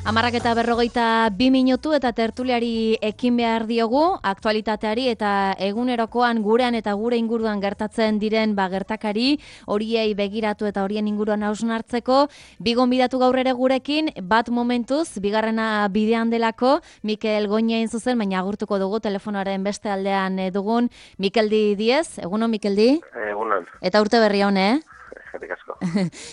11:42 eta tertuliari ekin behar diogu, aktualitateari eta egunerokoan gurean eta gure inguruan gertatzen diren gertakari, horiei begiratu eta horien inguruan hausnartzeko. Bi gonbidatu gaur ere gurekin, bat momentuz, bigarrena bidean delako, Mikel Goñain zuzen, baina agurtuko dugu telefonoaren beste aldean dugun, Mikeldi Diez. Egunon, Mikeldi? Egunon. Eta urte berri hon, Eskerrik asko.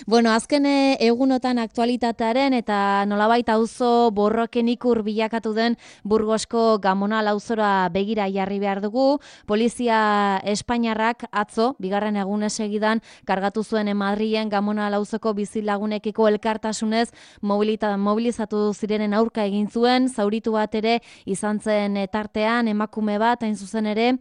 Bueno, azken egunotan aktualitatearen eta nolabait auzo borroken ikur bilakatu den Burgosko Gamonal auzora begira jarri behar dugu. Polizia Espainiarrak atzo, bigarren egunez segidan, kargatu zuen Madrilen Gamonal auzoko bizilagunekiko elkartasunez mobilizatu zirenen aurka egin zuen, zauritu bat ere izan zen tartean, emakume bat, hain zuzen ere,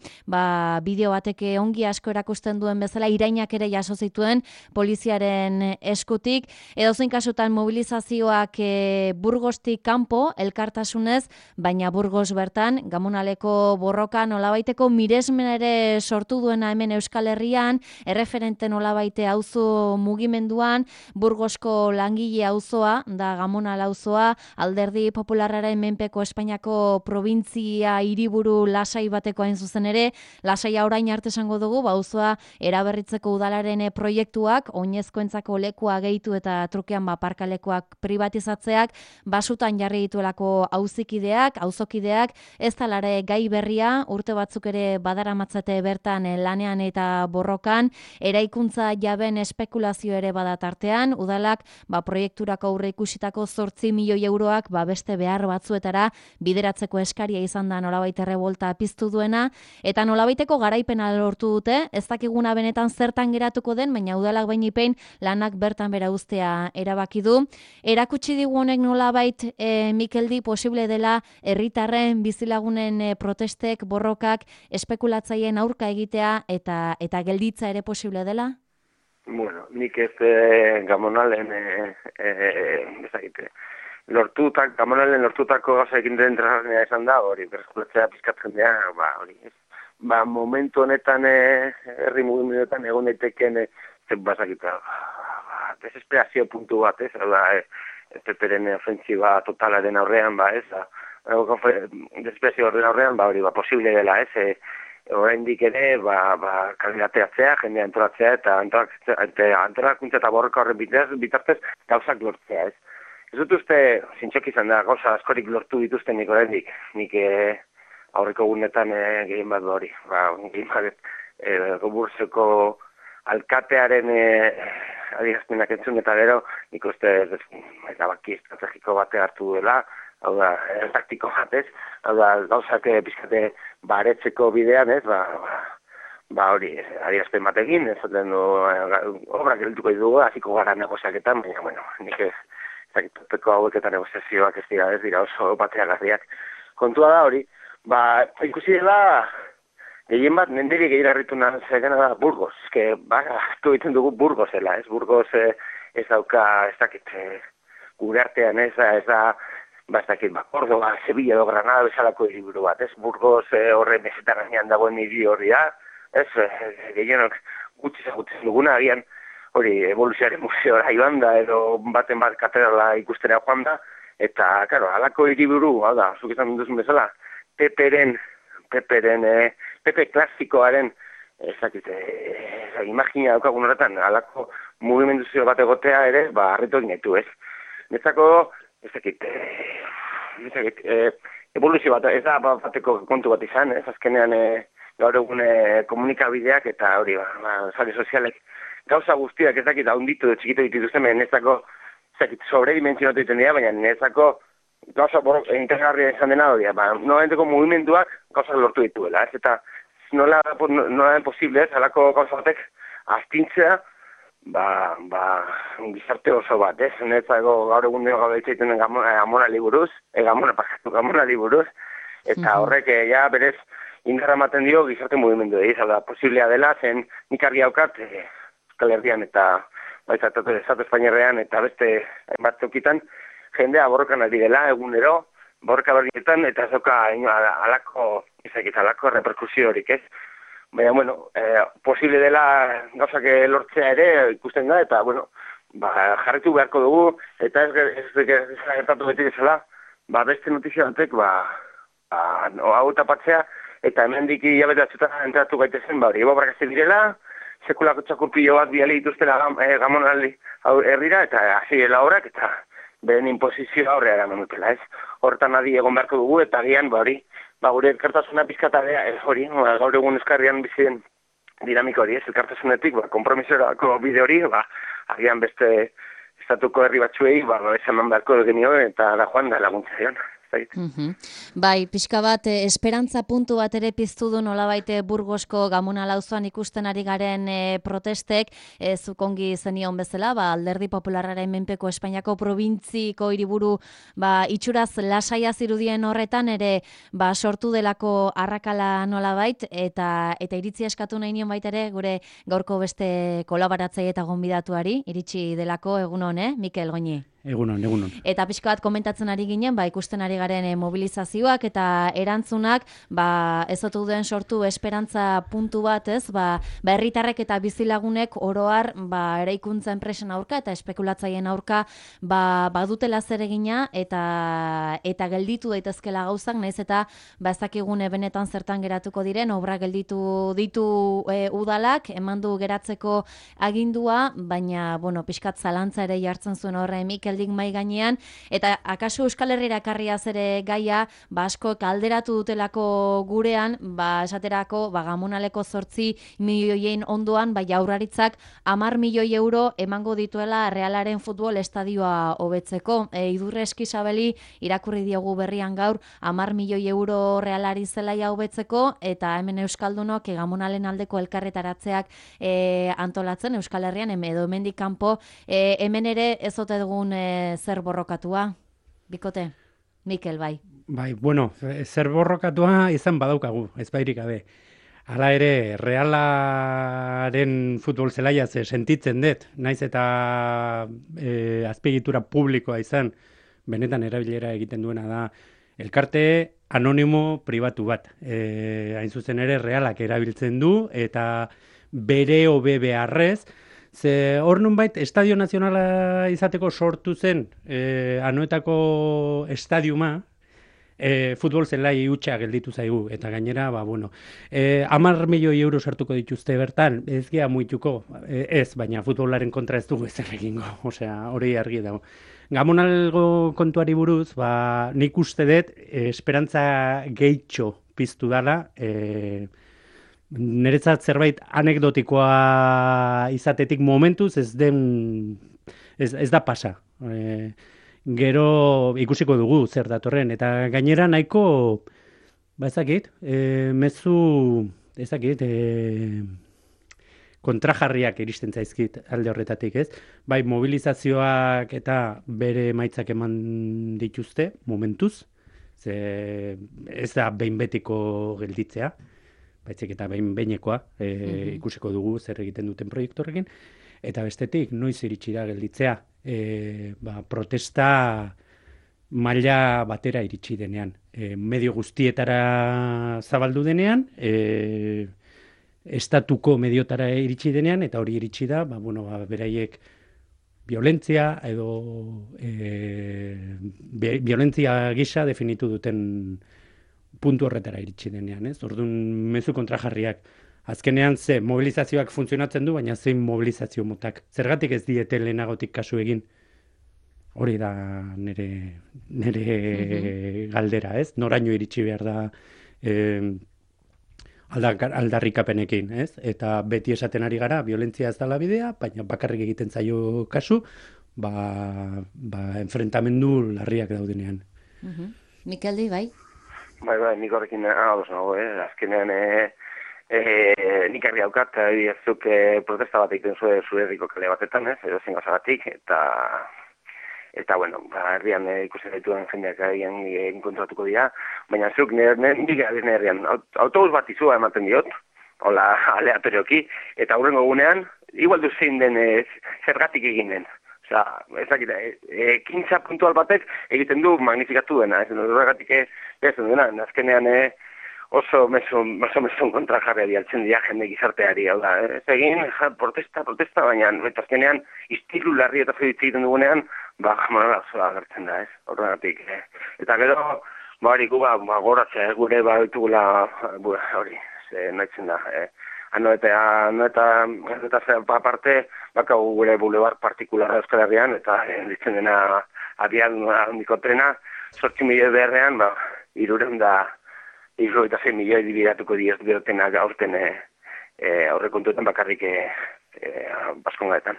bideo bateke ongi asko erakusten duen bezala, irainak ere jaso zituen poliziaren eskutik. Edozein kasutan mobilizazioak Burgostik kanpo elkartasunez, baina Burgos bertan Gamonaleko borroka nolabaiteko miresmen ere sortu duena hemen Euskal Herrian, erreferente nolabaite auzo mugimenduan, Burgosko langile auzoa da Gamonal auzoa, Alderdi Popularraren menpeko Espainiako provintzia hiriburu lasai bateko hain zuzen ere, lasaia orain arte esango dugu, auzoa eraberritzeko udalaren proiektuak, oinezkoentzako lekua gehitu eta trukean parkalekuak privatizatzeak, basutan jarri dituelako auzokideak, ez talare gai berria, urte batzuk ere badaramatzate bertan lanean eta borrokan, eraikuntza jaben espekulazio ere badatartean, udalak proiekturako aurre ikusitako 8 milioi euroak beste behar batzuetara bideratzeko eskaria izan da nolabait errebolta piztu duena, eta nolabaiteko garaipena lortu dute, ez dakiguna benetan zertan geratuko den, baina udalak bainipein lanak bertan bera uztea erabaki du. Erakutsi digu honek nolabait, Mikeldi, posible dela herritarren bizilagunen protestek, borrokak, espekulatzaileen aurka egitea eta gelditza ere posible dela? Bueno, nik ez Gamonalen Gamonalen lortutako gauza egin den interesgarria izan da, hori, berreskuratzea pizkatzen dira, hori, ez. Momentu honetan, herri mugimenduetan egon daiteken desesperazio puntu bat, ez, PP-ren ofentsiba totalaren aurrean, desesperazio horren aurrean, hori, posible dela, ez, oraindik ere, kandidateatzea, jendea antolatzea, eta antolakuntza eta borroka horren bitartez gauzak lortzea, ez. Ez dut uste, zintxok izan da, gauza askorik lortu dituzten nik oraindik, nik aurreko gunetan gehien bat hori, gehien bat Burgoseko alkatearen adierazpenak entzun eta gero, nik uste erabaki estrategiko bate hartu duela, hau da, taktiko batez, hau da, gauzak pizkate baretzeko bidean, ez, hori, adierazpen batekin, ez zaten du, obrak gelituko dugu, hasiko gara negoziaketan, baina, bueno, nik ezakituteko haueketan negoziazioak ez dira oso bateagarriak. Kontua da hori, ikusi dela, gehien bat, nendiri gehien harritu nazegena da Burgos. Hartu egiten dugu Burgosela, ez? Burgos ez dauka, ez dakit, gure artean ez da, ez dakit, Córdoba, Sevilla edo Granada bezalako hiriburu bat, ez? Burgos horre mesetan gainean dagoen hiri hori da, ez? Gehienok gutxi duguna, agian hori evoluzioaren museora joan da, edo baten bat katedrala ikustera joan da, eta, karo, halako hiriburu, hau da, zuk izan duzun bezala, PP klasikoaren, imagina daukagun horretan, alako mugimenduzio bat egotea ere, harritu egin gaitu, ez. Netzako, evoluzio bat, ez da bateko kontu bat izan, ez azkenean gaur egun komunikabideak eta hori, sare sozialek gauza guztiak ez dakit haunditu txikitu dituzten, netzako, sobredimensionatu egiten dira, baina netzako gauza interesgarria izan dena hori, nolabenteko mugimenduak gauzak lortu dituela, ez, eta nola den posible, ez, halako gauza batek astintzea, gizarte oso bat, ez, netzako gaur egun dira gaur egiten Gamonali buruz, eta horrek ja berez indarra ematen dio gizarte mugimendu ez, posiblea dela, zen nik argi haukat Euskal Herrian eta Estatu Espainiarrean eta beste hainbat tokitan, jendea borrokan ari dela egunero, borroka berrietan, eta ez dauka alako reperkusio horik, ez? Baina, bueno, posible dela gauzak lortzea ere ikusten da, eta, bueno, jarritu beharko dugu, eta ez gertatu beti bezala, beste notizia batek, hau tapatzea, eta hemendik hilabete batzutan entratu gaitezen, hori ebobrak ez direla, sekulako txakurpilo bat biali dituztela gamonaldi herrira, eta hasi dela horak, eta beren imposizioa aurrera eraman dutela, ez? Hortan adi egon beharko dugu, eta agian, gure elkartasuna pizkatabea, hori, gaur egun euskarrian bizien dinamiko hori, ez? Elkartasunetik, kompromisorako bide hori, agian beste estatuko herri batzuei, esan beharko genio, eta da joan da laguntza dion. Bai, pixka bat, esperantza puntu bat ere piztu du nolabait Burgosko Gamonal auzoan ikusten ari garen protestek, zuk ongi zenion bezala, Alderdi Popularraren menpeko Espainiako probintziko hiriburu itxuraz lasaia zirudien horretan ere sortu delako arrakala nolabait, eta iritzi eskatu nahi nion baita ere gure gaurko beste kolaboratzaile eta gonbidatuari, iritsi delako egunon, Mikel Goñi. Egunon. Eta pixka bat komentatzen ari ginen, ikusten ari garen mobilizazioak eta erantzunak, ez otu duen sortu esperantza puntu bat, ez? Herritarrek eta bizilagunek oroar, eraikuntza enpresen aurka eta espekulatzaien aurka, badutela zeregina eta gelditu daitezkela gauzak, naiz eta ez dakigune benetan zertan geratuko diren, obra gelditu ditu udalak, emandu geratzeko agindua, baina, pixkat zalantza ere jartzen zuen horre Mikel mai gainean, eta akaso Euskal Herrira ekarriaz ere gaia, asko kalderatu dutelako gurean, esaterako, Gamonaleko 8 milioien ondoan, jaurlaritzak 10 milioi euro emango dituela Realaren futbol estadioa hobetzeko. Idurre Eskizabeli irakurri diogu berrian gaur 10 milioi euro Realari zelaia hobetzeko, eta hemen Euskaldunok Gamonalen aldeko elkarretaratzeak antolatzen Euskal Herrian, edo hemendik kanpo, hemen ere ez ote dugun zer borrokatua, bikote? Mikel, bai. Bai, zer borrokatua izan badaukagu, ez bairik gabe. Hala ere, Realaren futbol zelaia sentitzen dut, naiz eta azpiegitura publikoa izan, benetan erabilera egiten duena da, elkarte anonimo pribatu bat. Hain zuzen ere, Realak erabiltzen du, eta bere hobe beharrez, ze hor nunbait, Estadio Nazionala izateko sortu zen Anoetako estadiuma, futbol zelai hutsa gelditu zaigu, eta gainera, 10 milioi euro sartuko dituzte bertan, ez gea muituko, ez, baina futbolaren kontra ez dugu ezer egingo, hori argi dago. Gamonalgo kontuari buruz, nik uste dut, esperantza gehitxo piztu dala, niretzat zerbait anekdotikoa izatetik momentuz ez da pasa. Gero ikusiko dugu zer datorren, eta gainera nahiko, kontrajarriak iristen zaizkit alde horretatik, ez? Bai, mobilizazioak eta bere emaitzak eman dituzte momentuz, ez da behin betiko gelditzea, baizik eta behinekoa, ikusiko dugu zer egiten duten proiektu horrekin, eta bestetik, noiz iritsi da gelditzea, protesta maila batera iritsi denean, medio guztietara zabaldu denean, estatuko mediotara iritsi denean, eta hori iritsi da, beraiek violentzia edo violentzia gisa definitu duten puntu horretara iritsi denean, ez? Orduan mezu kontrajarriak. Azkenean mobilizazioak funtzionatzen du, baina zein mobilizazio motak. Zergatik ez diete lehenagotik kasu egin? Hori da nire galdera, ez? Noraino iritsi behar da aldarrikapenekin, ez? Eta beti esaten ari gara, violentzia ez dela bidea, baina bakarrik egiten zaio kasu, enfrentamendu larriak daudenean. Mikeldi, bai? Bai, nik horrekin ados nago, azkenean nik argi daukat, zuk protesta bat egiten zure herriko kale batetan, edo zen gazagatik, eta herrian ikusten dituen jendeak enkontratuko dira, baina zuk nik herrian autobus bat izua ematen diot, hola aleatorioki, eta hurrengo egunean, igual du zein den zergatik egin den. Ez dakit, ekintza puntual batek egiten du magnifikatu dena, ez horregatik ez duena, azkenean oso mezu kontra jarri dialtzen dira jende gizarteari, hau da, ez egin, protesta, baina azkenean istilu larri eta zeditzik egiten dugunean, jamara zoa agertzen da, ez, horregatik. Eta gero, hori gu, goratzea, gure ditugula, hori, nahitzen da, ano eta aparte, bakau gure bulebar partikulara Euskal Herrian, eta ditzen dena abian handiko trena, 8 milioi beharrean, 306 milioi dibidatuko diotena aurten aurrekontuetan bakarrik Baskongaetan.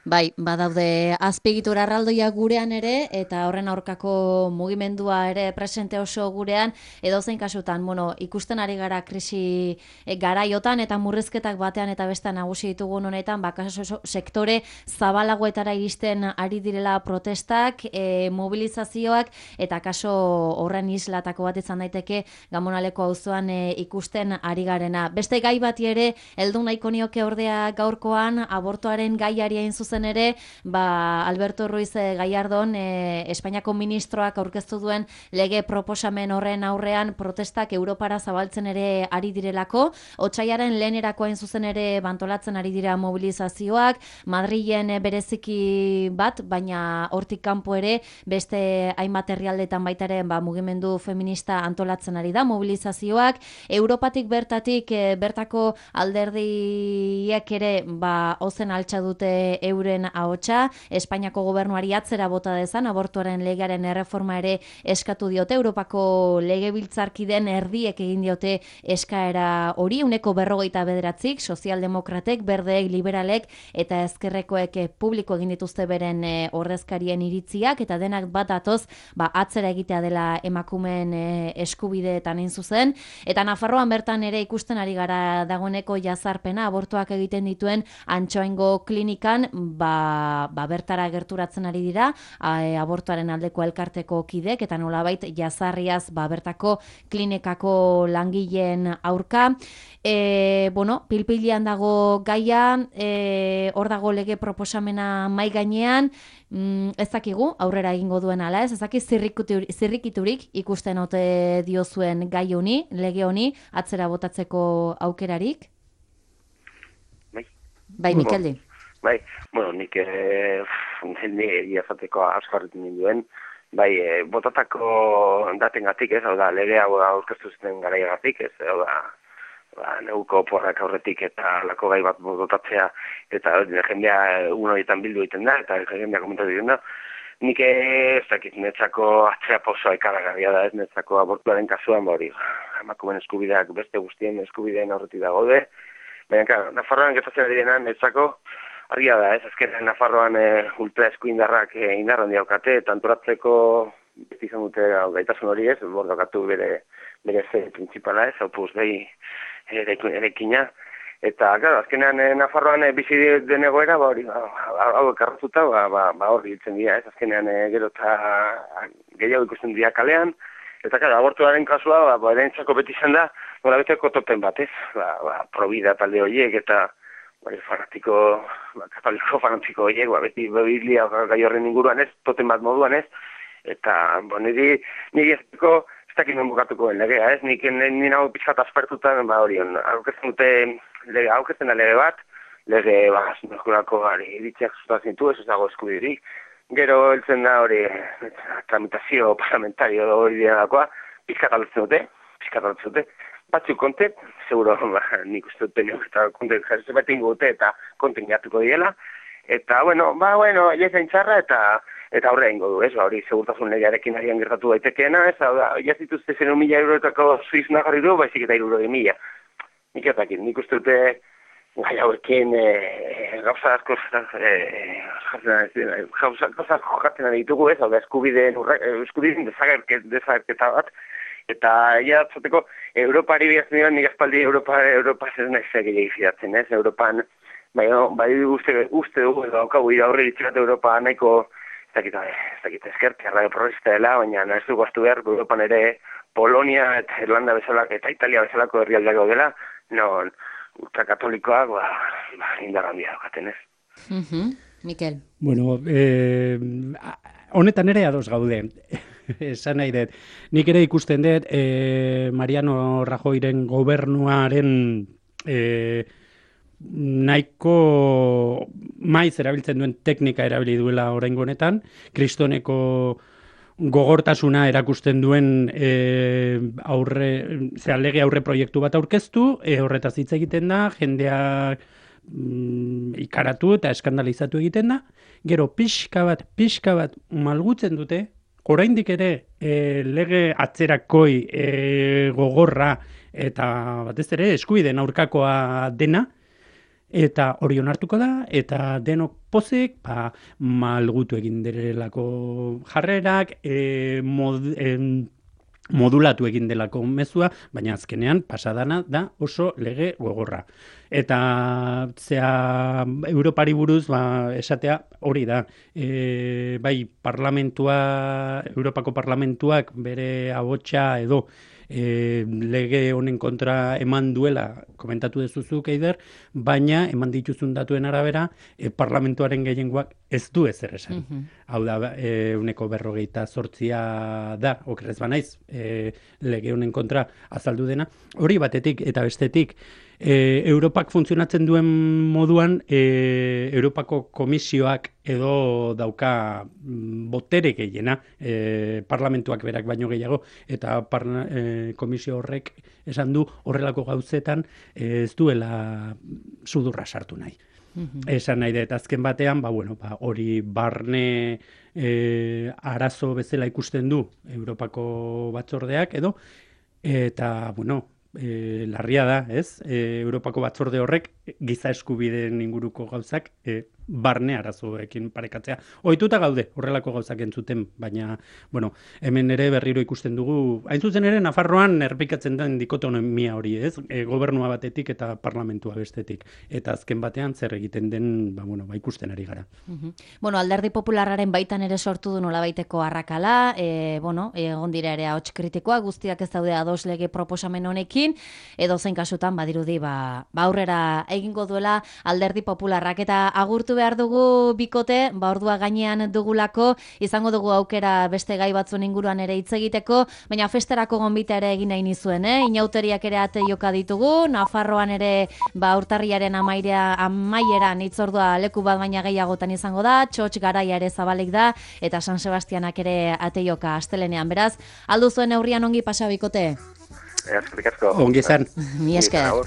Bai, badaude azpiegitura erraldoiak gurean ere, eta horren aurkako mugimendua ere presente oso gurean, edozein kasutan, ikusten ari gara krisi garaiotan, eta murrizketak batean eta bestean nagusi ditugun honetan, kaso sektore zabalagoetara iristen ari direla protestak, mobilizazioak, eta kaso horren islatako bat izan daiteke Gamonaleko auzoan ikusten ari garena. Beste gai bati ere, heldu nahiko nioke ordea gaurkoan, abortoaren gaiari hain zuzen ere, Alberto Ruiz Gallardón, Espainiako ministroak aurkeztu duen lege proposamen horren aurrean protestak Europara zabaltzen ere ari direlako, otsaiaren lehenerako hain zuzen ere bantolatzen ari dira mobilizazioak, Madrilen bereziki bat, baina hortik kanpo ere beste hainbat herrialdetan baita ere mugimendu feminista antolatzen ari da mobilizazioak, Europatik bertatik bertako alderdiek ere ozen altxa dute euren ahotsa, Espainiako gobernuari atzera bota dezan, abortuaren legearen erreforma ere eskatu diote, Europako legebiltzarkiden erdiek egin diote eskaera hori, 49%, sozialdemokratek, berdeek, liberalek eta ezkerrekoek publiko egin dituzte beren ordezkarien iritziak, eta denak bat datoz, atzera egitea dela emakumeen eskubideetan hain zuzen, eta Nafarroan bertan ere ikusten ari gara dagoeneko jazarpena, abortuak egiten dituen Antxoaingo klinikan, bertara gerturatzen ari dira, abortuaren aldeko elkarteko kidek, eta nolabait jazarriaz bertako klinikako langileen aurka. Pilpilian dago gaia, hor dago lege proposamena mai gainean, ez dakigu, aurrera egingo duen ala ez dakik zirrikiturik ikusten ote diozuen gai honi, lege honi, atzera botatzeko aukerarik? Bai, Mikeldi. Bai, nik nire azateko asko harritu ninduen, botatako datengatik ez, hau da, lege hau aurkeztu zuten garaiagatik ez, hau da, neuko porrak aurretik eta lako gai bat botatzea, eta jendea horietan bildu egiten da, eta jendea komentatu egiten da, nik ez dakit, netzako atzera pausoa ikaragarria da ez, netzako abortuaren kasuan, hori, emakumeen eskubideak beste guztien eskubideen aurretik da gaude, baina, Nafarroan gertatzen direnan netzako, argia da, ez azkenean Nafarroan ultra eskuindarrak indarran diaukate, eta antolatzeko beti izan dute gaitasun hori ez, bordokatu bere ze principala ez, Opus Dei erekina, eta azkenean Nafarroan bizi den egoera, hau ekarratuta, hor biltzen dira ez, azkenean gero eta gehiago ikusten dira kalean, eta abortuaren kasua, erentzako beti izan da, nola beteko topen bat ez, Provida talde horiek eta fanatiko, katoliko fanatiko horiek, beti biblia gai horren inguruan ez, toten bat moduan ez, eta niri ez dakit non bukatuko den legea ez, nire hau pixkat aspertuta, horion, auketzen da lege bat, lege zinurkurako iritziak zutatzen ditu, ez dago eskudirik, gero heltzen da hori tramitazio parlamentario hori dianakoa, pixkat aldatzen dute, batzuk konte, seguro nik uste dut eta konte jarri bat ingo dute eta konten gatuko diela, eta jaizan txarra eta aurrea ingo du, ez, hori segurtasun legearekin arian gertatu daitekeena, ez, jaz dituzte 0.000 euroetako suiz nagarri du, baizik eta 100.000. Nik ez dakit, nik uste dute gai hauekin gauza asko jokatzen ditugu, ez, hau da eskubideen desagerketa bat, eta jatzateko Europari bihazten dira, nik aspaldi Europa ez nahi zegile izidatzen, ez? Europan, uste dugu, edo haukagu aurre ditzat Europa nahiko, ez dakit ezkertia, radio progresista dela, baina ez dugu astu behar, Europan ere Polonia eta Irlanda bezalak eta Italia bezalako herrialdeak dela, non ultrakatolikoak indar handia daukaten, ez? Mikel. Bueno, honetan ere ados gaude. esan nahi dut. Nik ere ikusten dut, Mariano Rajoyren gobernuaren nahiko maiz erabiltzen duen teknika erabili duela oraingo honetan, kristoneko gogortasuna erakusten duen lege aurre proiektu bat aurkeztu, horretaz hitz egiten da, jendeak ikaratu eta eskandalizatu egiten da, gero pixka bat malgutzen dute, oraindik ere lege atzerakoi gogorra eta batez ere eskubideen aurkakoa dena, eta hori onartuko da, eta denok pozik malgutu egin direlako jarrerak, modulatu egin delako mezua, baina azkenean pasadana da oso lege gogorra. Eta Europari buruz esatea hori da. Bai, Europako parlamentuak bere ahotsa edo lege honen kontra eman duela, komentatu dezuzuk, Eider, baina eman dituzun datuen arabera, parlamentuaren gehiengoak ez du ezer esan. Hau da, 48% da, okerrez banaiz, lege honen kontra azaldu dena. Hori batetik eta bestetik, Europak funtzionatzen duen moduan, Europako komisioak edo dauka botere gehiena, parlamentuak berak baino gehiago, eta komisio horrek esan du horrelako gauzetan ez duela sudurra sartu nahi. Esan nahi dut, azken batean, hori barne arazo bezala ikusten du Europako batzordeak edo, eta, larria da, ez? Europako batzorde horrek giza eskubideen inguruko gauzak barne arazoekin parekatzea. Ohituta gaude horrelako gauzak entzuten, baina, hemen ere berriro ikusten dugu, hain zuzen ere Nafarroan errepikatzen den dikotomia hori, ez? Gobernua batetik eta parlamentua bestetik. Eta azken batean zer egiten den, ikusten ari gara. Alderdi popularraren baitan ere sortu du nolabaiteko arrakala, egon dira ere ahots kritikoa, guztiak ez daude ados lege proposamen honekin, edo zein kasutan badirudi aurrera egingo duela alderdi popularrak, eta agurtu behar dugu bikote, ordua gainean dugulako, izango dugu aukera beste gai batzun inguruan ere hitz egiteko, baina festerako gonbita ere egin nahi nizuen, inauteriak ere ate joka ditugu, Nafarroan ere urtarriaren amaieran hitzordua leku bat baina gehiagotan izango da, txotx garaia ere zabalik da, eta San Sebastianak ere ate joka astelenean, beraz, aldu zuen neurrian ongi pasa bikote? Eskerrik asko. Ongi izan. Mi esker.